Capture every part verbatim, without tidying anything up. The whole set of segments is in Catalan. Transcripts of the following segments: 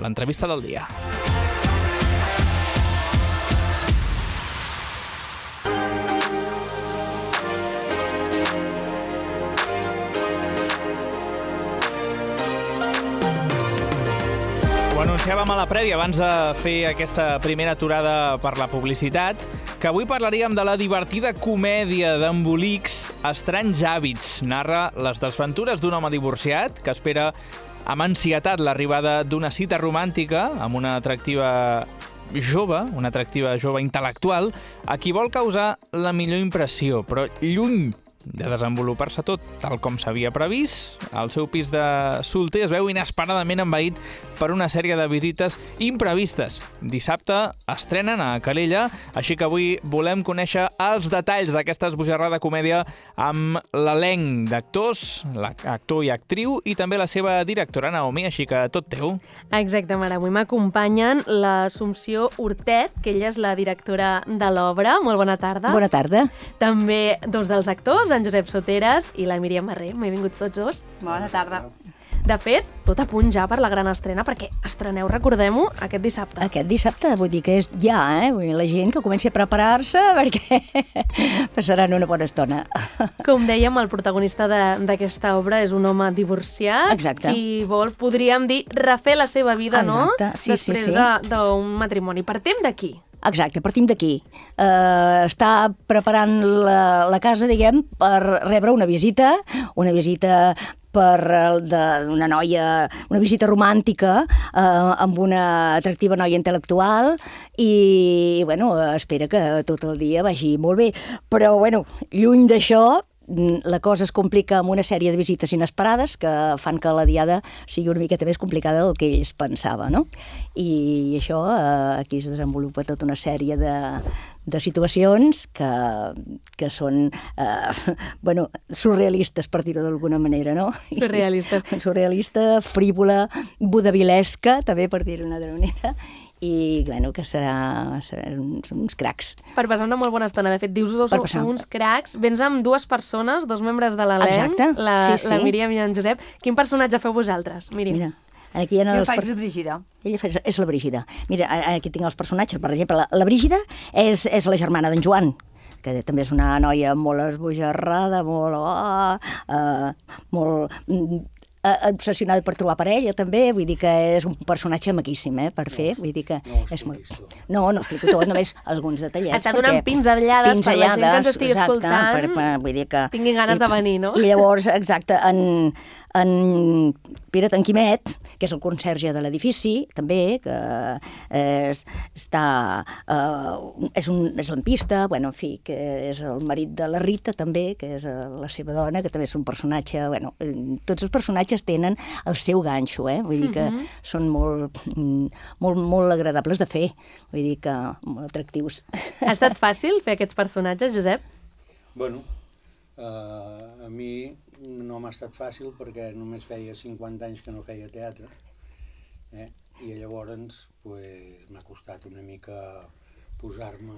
l'entrevista del dia. Ho anunciàvem a la prèvia, abans de fer aquesta primera aturada per la publicitat, que avui parlaríem de la divertida comèdia d'embolics Estranys hàbits. Narra les desventures d'un home divorciat que espera amb ansietat l'arribada d'una cita romàntica amb una atractiva jove, una atractiva jove intel·lectual, a qui vol causar la millor impressió, però lluny de desenvolupar-se tot tal com s'havia previst, el seu pis de solter es veu inesperadament envaït per una sèrie de visites imprevistes. Dissabte estrenen a Calella, així que avui volem conèixer els detalls d'aquesta esbojarrada comèdia amb l'elenc d'actors, l'actor i actriu, i també la seva directora, Naomi, així que tot teu. Exacte, Mare. Avui m'acompanyen l'Assumpció Hortet, que ella és la directora de l'obra. Molt bona tarda. Bona tarda. També dos dels actors, en Josep Soteres i la Míriam Barrer. Benvinguts tots dos. Bona tarda. De fet, tot a punt ja per la gran estrena, perquè estreneu, recordem-ho, aquest dissabte. Aquest dissabte, vull dir que és ja, eh? Vull dir, la gent que comenci a preparar-se perquè passaran una bona estona. Com dèiem, el protagonista d'aquesta obra és un home divorciat. Exacte. Qui vol, podríem dir, refer la seva vida, Exacte. no? Sí, Després sí, sí. de- d'un matrimoni. Partim d'aquí. Exacte, partim d'aquí. Uh, està preparant la, la casa, diguem, per rebre una visita, una visita per d'una noia, una visita romàntica eh, amb una atractiva noia intel·lectual i, bueno, espera que tot el dia vagi molt bé. Però, bueno, lluny d'això, la cosa es complica amb una sèrie de visites inesperades que fan que la diada sigui una miqueta més complicada del que ells pensava, no? I això, eh, aquí es desenvolupa tota una sèrie de, de situacions que, que són, eh, bueno, surrealistes, per dir-ho d'alguna manera, no? Surrealistes. Surrealista, frívola, vodavilesca, també, per dir-ho d'una altra manera, i, bueno, que serà, serà uns, uns cracs. Per passar una molt bona estona. De fet, dius que Per sou, passar. sou uns cracs. Vens amb dues persones, dos membres de l'elenc, Exacte, la, sí, sí. la Míriam i en Josep. Quin personatge feu vosaltres, Míriam? Mira, aquí hi ha Jo els faig per- de Brígida. Ella fa- és la Brígida. Mira, aquí tinc els personatges. Per exemple, la, la Brígida és, és la germana d'en Joan, que també és una noia molt esbojarrada, molt... Oh, uh, molt mm, eh, obsessionada per trobar parella, també. Vull dir que és un personatge maquíssim, eh, per fer. Vull dir que No ho és molt... expliquis tot. No, no explico tot, només alguns detallets. Està donant pinzellades per la gent que ens estigui exacte, escoltant, Per, per, vull dir que... tinguin ganes i, de venir, no? I llavors, exacte, en, en Pere Tanquimet, que és el conserge de l'edifici, també, que és, està, eh, és, un, és lampista, bueno, en fi, que és el marit de la Rita, també, que és eh, la seva dona, que també és un personatge... Bueno, eh, tots els personatges tenen el seu ganxo, eh? Vull dir que Mhm. són molt, mm, molt, molt agradables de fer, vull dir que molt atractius. Ha estat fàcil fer aquests personatges, Josep? Bueno, eh, a mi no m'ha estat fàcil perquè només feia cinquanta anys que no feia teatre, eh? I llavors pues, m'ha costat una mica posar-me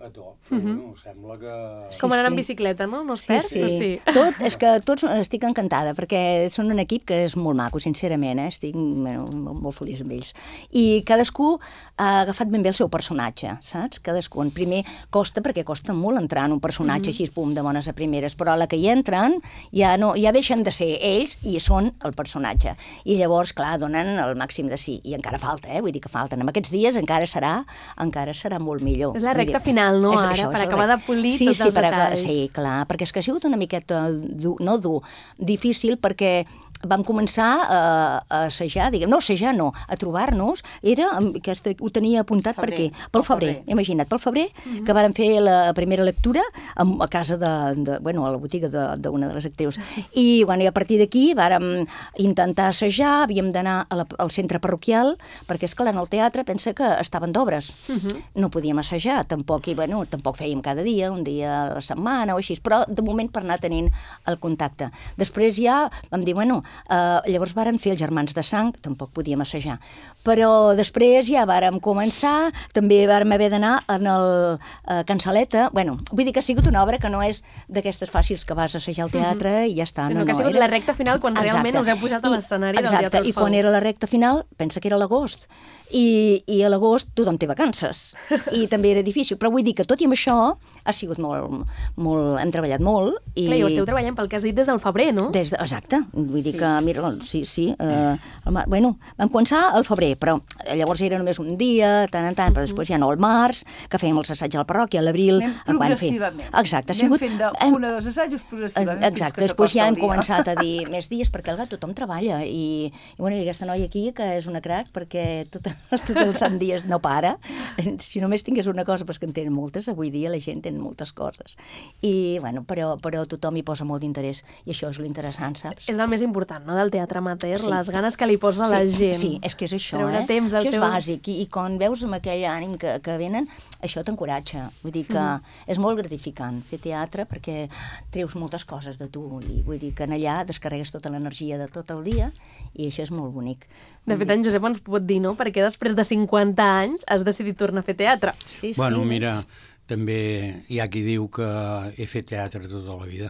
a to, però Mhm. bueno, sembla que... Com anar sí. en bicicleta, no? No es Sí, perd? sí. O sí. Tot, és que tots estic encantada, perquè són un equip que és molt maco, sincerament, eh? Estic bueno, molt, molt feliç amb ells. I cadascú ha agafat ben bé el seu personatge, saps? Cadascú. En primer costa, perquè costa molt entrar en un personatge Mhm. així, pum, de bones a primeres, però a la que hi entren ja, no, ja deixen de ser ells i són el personatge. I llavors, clar, donen el màxim de sí. I encara falta, eh? Vull dir que falten. En aquests dies encara serà, encara serà molt millor. És la Vull recta dir, final, no, és ara, això, per és la acabar recta. de polir sí, tots sí, els per acabar- detalls. Sí, clar, perquè és que ha sigut una miqueta dur, no dur, difícil, perquè vam començar a, a assajar, diguem, no, assajar no, a trobar-nos, era, aquesta, ho tenia apuntat Febrer, per què? Pel pel febrer, febrer. imagina't, pel febrer, Mhm. que vàrem fer la primera lectura a, a casa de, de, bueno, a la botiga de- d'una de, de les actrius. I, bueno, i a partir d'aquí vàrem intentar assajar, havíem d'anar a la- al centre parroquial, perquè, esclar, en el teatre pensa que estaven d'obres. Mhm. No podíem assajar, tampoc, i, bueno, tampoc fèiem cada dia, un dia a la setmana o així, però de moment per anar tenint el contacte. Després ja vam dir, bueno, Uh, llavors vàrem fer els Germans de Sang, tampoc podíem assajar. Però després ja vàrem començar, també vàrem haver d'anar en el uh, Cansaleta. Bueno, vull dir que ha sigut una obra que no és d'aquestes fàcils que vas assajar al teatre uh -huh. i ja està. Sinó no, que no, ha sigut era... la recta final quan exacte. Realment us heu pujat a l'escenari del Teatre Teatre I quan era la recta final, pensa que era l'agost. I, i a l'agost tothom té vacances. I també era difícil. Però vull dir que tot i amb això ha sigut molt... molt hem treballat molt. I... Clar, i ho esteu treballant pel que has dit des del febrer, no? Des de, exacte. Vull dir sí. que, mira, sí, sí. Eh, el, bueno, vam començar al febrer, però llavors era només un dia, tant en tant, però després ja no al març, que fèiem els assaigs a la parròquia, a l'abril... Anem progressivament. Exacte. Anem sigut, fent de, hem, un o dos assajos progressivament. Exacte. Després ja hem començat a dir més dies, perquè al gat tothom treballa. I, i, bueno, i aquesta noia aquí, que és una crac, perquè tot, tot els sant dies no para. Si només tingués una cosa, però és que en tenen moltes, avui dia la gent té moltes coses. I, bueno, però, però tothom hi posa molt d'interès. I això és l'interessant, saps? És el més important, no?, del teatre amateur, sí. les ganes que li posa sí, la gent. Sí, és que és això, Treure eh? temps això és seu... bàsic. I, I quan veus amb aquell ànim que, que venen, això t'encoratja. Vull dir que mm. és molt gratificant fer teatre perquè treus moltes coses de tu. I vull dir que en allà descarregues tota l'energia de tot el dia i això és molt bonic. De fet, en Josep ens pot dir, no?, perquè després de cinquanta anys has decidit tornar a fer teatre. Sí, bueno, sí. mira, també hi ha qui diu que he fet teatre tota la vida.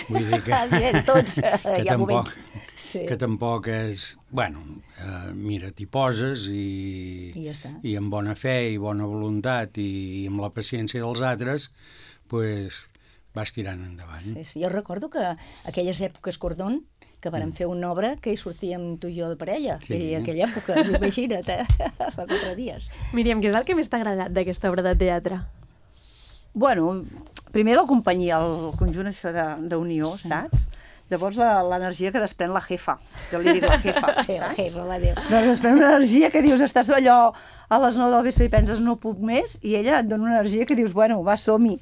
Vull dir que, Tots, que, hi ha tampoc, moments. Sí. que tampoc és... Bueno, eh, mira, t'hi poses i, I, ja està. i amb bona fe i bona voluntat i amb la paciència dels altres, pues, vas tirant endavant. Sí, sí. Jo recordo que aquelles èpoques Cordón, que vàrem fer una obra que hi sortíem tu i jo de parella, sí. aquella, aquella època, imagina't, eh? Fa quatre dies. Míriam, què és el que més t'ha agradat d'aquesta obra de teatre? Bueno, primer la companyia, el conjunt això d'unió, sí. saps? Llavors l'energia que desprèn la jefa, jo li dic la jefa, sí, saps? la jefa, va dir. Doncs desprèn una energia que dius, estàs allò a les nou del vespre i penses no puc més, i ella et dona una energia que dius, bueno, va, som-hi.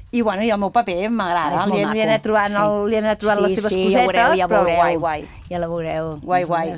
I, bueno, i el meu paper m'agrada, li, li he anat trobant, sí. el, li he anat trobant sí, les seves sí, cosetes, ja veureu, ja però veureu. guai, guai. Ja la veureu. Guai, guai.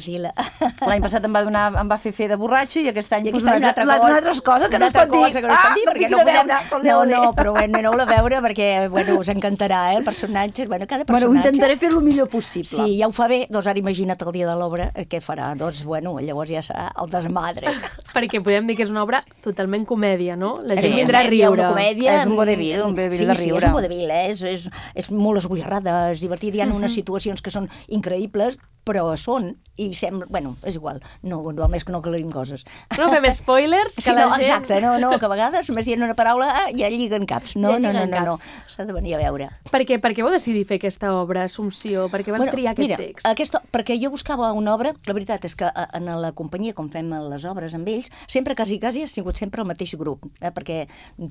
L'any passat em va, donar, em va fer fer de borratxo i aquest any I aquest any m'ha donat una altra cosa que no es pot dir. Que no es pot dir, ah, perquè no podem... No, no, però bueno, aneu-la a veure perquè bueno, us encantarà, eh, el personatge. Bueno, cada personatge... Bueno, intentaré fer el millor possible. Sí, ja ho fa bé. Doncs ara imagina't el dia de l'obra, què farà? Doncs, bueno, llavors ja serà el desmadre. Perquè podem dir que és una obra totalment comèdia, no? La gent sí, vindrà a riure. Una comèdia... És un vodevil, un vodevil sí, de riure. Sí, és un vodevil, eh? és, és, és molt esbojarrada, és divertit, hi ha unes situacions que són increïbles, però són, i sembla... Bueno, és igual, no, només que no aclarim coses. No fem spoilers, que sí, la no, gent... Exacte, no, no, que a vegades només dient una paraula ah, ja lliguen caps. No, ja no, no, lliguen no, no, caps. s'ha de venir a veure. Per què, per què vau decidir fer aquesta obra, Assumpció? Per què vas bueno, triar aquest mira, text? Aquesta, perquè jo buscava una obra, la veritat és que en la companyia, com fem les obres amb ells, sempre, quasi, quasi, ha sigut sempre el mateix grup, eh, perquè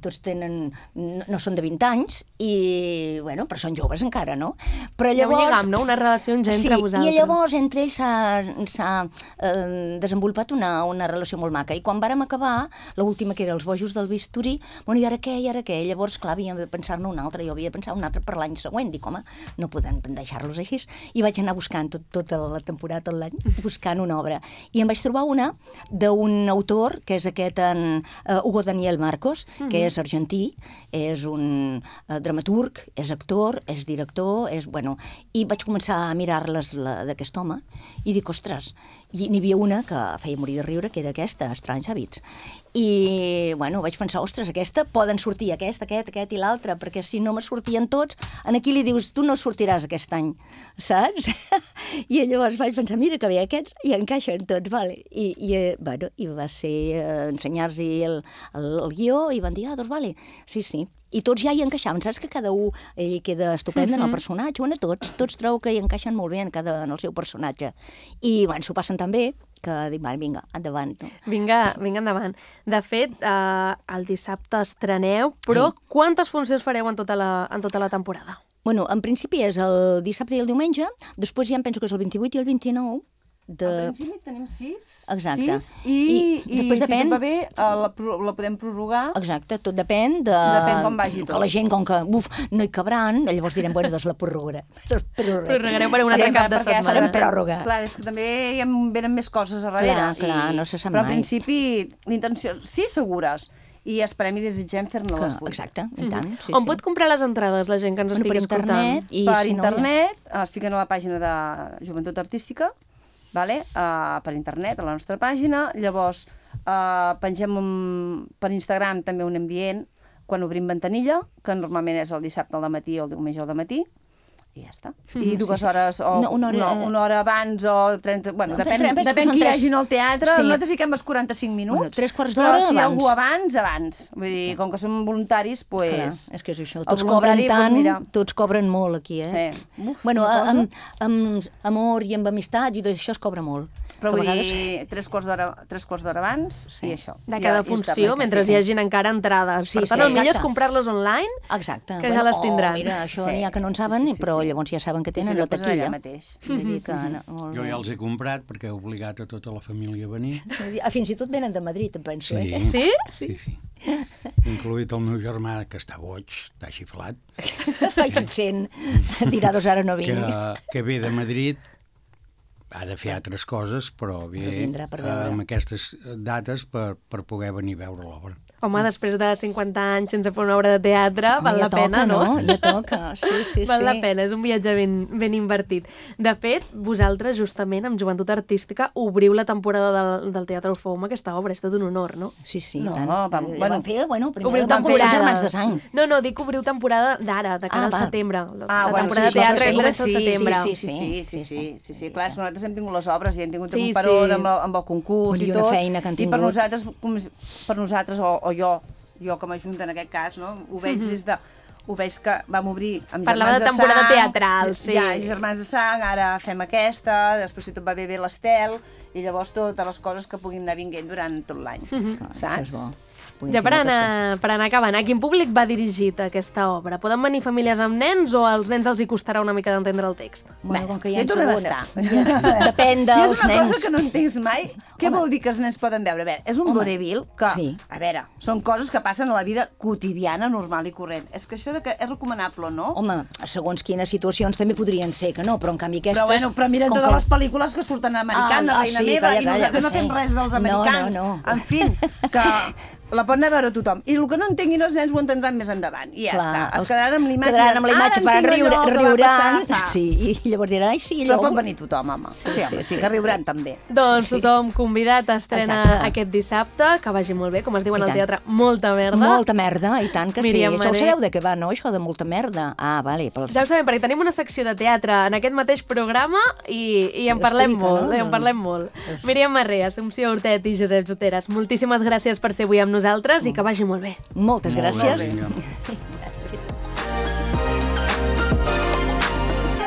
tots tenen... No, no són de vint anys, i, bueno, però són joves encara, no? Però llavors... Ja ho lligam, no? Una relació entre sí, vosaltres. I llavors entre ells s'ha eh, desenvolupat una, una relació molt maca. I quan vàrem acabar, l'última que era Els bojos del bisturí, bueno, i ara què, i ara què? Llavors, clar, havíem de pensar-ne una altra, jo havia de pensar una altra per l'any següent. Dic, home, no podem deixar-los així. I vaig anar buscant tot, tota la temporada, tot l'any, buscant una obra. I em vaig trobar una d'un autor, que és aquest en uh, Hugo Daniel Marcos, uh-huh. que és argentí, és un uh, dramaturg, és actor, és director, és, bueno, i vaig començar a mirar-les d'aquest home i dic, ostres, i n'hi havia una que feia morir de riure, que era aquesta, Estranys hàbits. I, bueno, vaig pensar, ostres, aquesta, poden sortir aquest, aquest, aquest i l'altre, perquè si no me sortien tots, aquí li dius, tu no sortiràs aquest any, saps? I llavors vaig pensar, mira que bé, aquests hi encaixen tots, vale. I, i bueno, i va ser eh, ensenyar-los el, el, el guió i van dir, ah, doncs vale, sí, sí. I tots ja hi encaixaven, saps que cada un ell queda estupend en el personatge, bueno, tots, tots trobo que hi encaixen molt bé en, cada, en el seu personatge. I, bueno, s'ho passen tan bé que dic, vinga, endavant. No? Vinga, vinga endavant. De fet, eh, el dissabte estreneu, però sí. Quantes funcions fareu en tota la, en tota la temporada? Bueno, en principi és el dissabte i el diumenge, després ja em penso que és el vint-i-vuit i el vint-i-nou. De... Al principi tenim sis, exacte. sis i, I, i després si depèn... tot va bé la, la podem prorrogar. Exacte, tot depèn de... Depèn com vagi tot. Que la gent, com que, uf, no hi cabran, llavors direm, bueno, doncs la prorrogarem. Prorrogareu per un altre cap de setmana. Farem pròrroga. Clar, és que també hi ha, venen més coses a darrere. Clar, clar, i, no se sap però mai. al principi, l'intenció... Sí, segures. i esperem i desitgem fer-ne Que, les vuit. exacte, i tant. Sí, On sí. pot comprar les entrades la gent que ens Bueno, estigui per escoltant? internet i Per si no, internet, es fiquen a la pàgina de Joventut Artística, vale? uh, per internet, a la nostra pàgina, llavors uh, pengem un, per Instagram també un ambient quan obrim ventanilla, que normalment és el dissabte al matí o el diumenge al matí, i ja està. I dues sí. hores, o No, una hora- no, una hora abans, o trenta... Bueno, No, depèn, penso que depèn són qui hi tres- hagi al teatre. Sí. Nosaltres fiquem els quaranta-cinc minuts. Bueno, tres quarts però d'hora si hi ha abans. algú abans, abans. Vull dir, com que som voluntaris, doncs... Clar, Pues, és que és això. el Tots cobren voluntari, tant, doncs mira. tots cobren molt aquí, eh? Sí. Uf, bueno, una cosa. amb, amb amor i amb amistat i tot això es cobra molt. Però Que a vull vegades- dir, tres quarts d'hora tres quarts d'hora abans Sí. i això. De Ja- cada i funció, està bé, mentre sí. hi hagin encara entrades. Sí, Per tant, sí, el millor és exacte. comprar-los online. Exacte. Que ja les tindran. Oh, mira, això Sí. n'hi ha que no en saben, Sí, sí, sí, però sí. llavors ja saben que I tenen si no, la pues allà taquilla. mateix. Vull dir que... No, molt Jo bé. ja els he comprat perquè he obligat a tota la família a venir. Ah, fins i tot venen de Madrid, em penso, Sí, eh? Sí? sí, sí. Incluït el meu germà, que està boig, està xiflat, Vaig sent, dirà dos ara no vinc. que, que ve de Madrid, ha de fer altres coses, però ve Però vindrà per eh, veure. amb aquestes dates per, per poder venir a veure l'obra. Home, després de cinquanta anys sense fer una obra de teatre, Home, val ja la pena, toca, no? Ja toca, sí, sí, Val sí. la pena, és un viatge ben, ben invertit. De fet, vosaltres, justament, amb Joventut Artística, obriu la temporada del, del Teatre Orfeu amb aquesta obra. És tot un honor, no? Sí, sí, No, tant. vam- Eh, bueno, vam fer, bueno, primer Obriu vam començar temporada. Germans de Sang. No, no, dic obriu temporada d'ara, de cara Ah, al va. setembre. La, Ah, la bueno, temporada sí, de teatre sí, comença al sí, setembre. Sí, sí, sí, sí, sí, sí, sí, sí. Clar, és que nosaltres hem tingut les obres i hem tingut Sí, un peron sí. amb, el, amb el concurs I i una tot. feina que han I per tingut. nosaltres, com, per nosaltres o, o jo, jo com a junta en aquest cas, no? Ho veig des de... Ho veig que vam obrir amb Parlava Germans de temporada Sang, teatral, sí. Ja, Germans de Sang, ara fem aquesta, després si tot va bé bé l'Estel, i llavors totes les coses que puguin anar vinguent durant tot l'any, Clar, saps? Això és bo. Podem Ja fer per moltes anar, per anar acabant, a quin públic va dirigit aquesta obra? Poden venir famílies amb nens o als nens els hi costarà una mica d'entendre el text? coses. Bueno, com que hi Ja ha hi tornem a segona. estar. Depèn I dels és una nens. cosa que no entenc mai. Què vol dir que els nens poden veure? A veure, és un Home, vodevil que, sí. a veure, són coses que passen a la vida quotidiana, normal i corrent. És que això de que és recomanable o no? Home, segons quines situacions també podrien ser que no, però en canvi aquestes... Però bueno, però mira com totes que- les pel·lícules que surten americanes, Ah, ah, Reina sí, Meva, calla, i calla, nosaltres no que fem sí. res dels No, americans. no, no. En fi, que la pot anar a veure tothom. I el que no entenguin els nens ho entendran més endavant. I ja Clar, està. Es els- quedaran amb l'imatge. Quedaran amb la Ara imatge, faran entenc riure, allò que va riuran, passar fa. sí, i llavors diran, ai, sí, Però allò... pot venir tothom, home. Sí, sí, home, sí, sí, que riuran també. Doncs tothom convidat a estrenar Exacte. aquest dissabte, que vagi molt bé, com es diu en I el tant. teatre, molta merda. Molta merda, i tant que Míriam sí. Ja ho Mané. sabeu de què va, no, això de molta merda? Ah, vale. Pels... Ja ho sabem, perquè tenim una secció de teatre en aquest mateix programa i, i en parlem Explica, molt, no? i en parlem molt. Míriam Marré, Assumpció Hortet i Josep Soteres, moltíssimes gràcies per ser avui amb nosaltres i que vagi molt bé. Moltes gràcies. Vinga.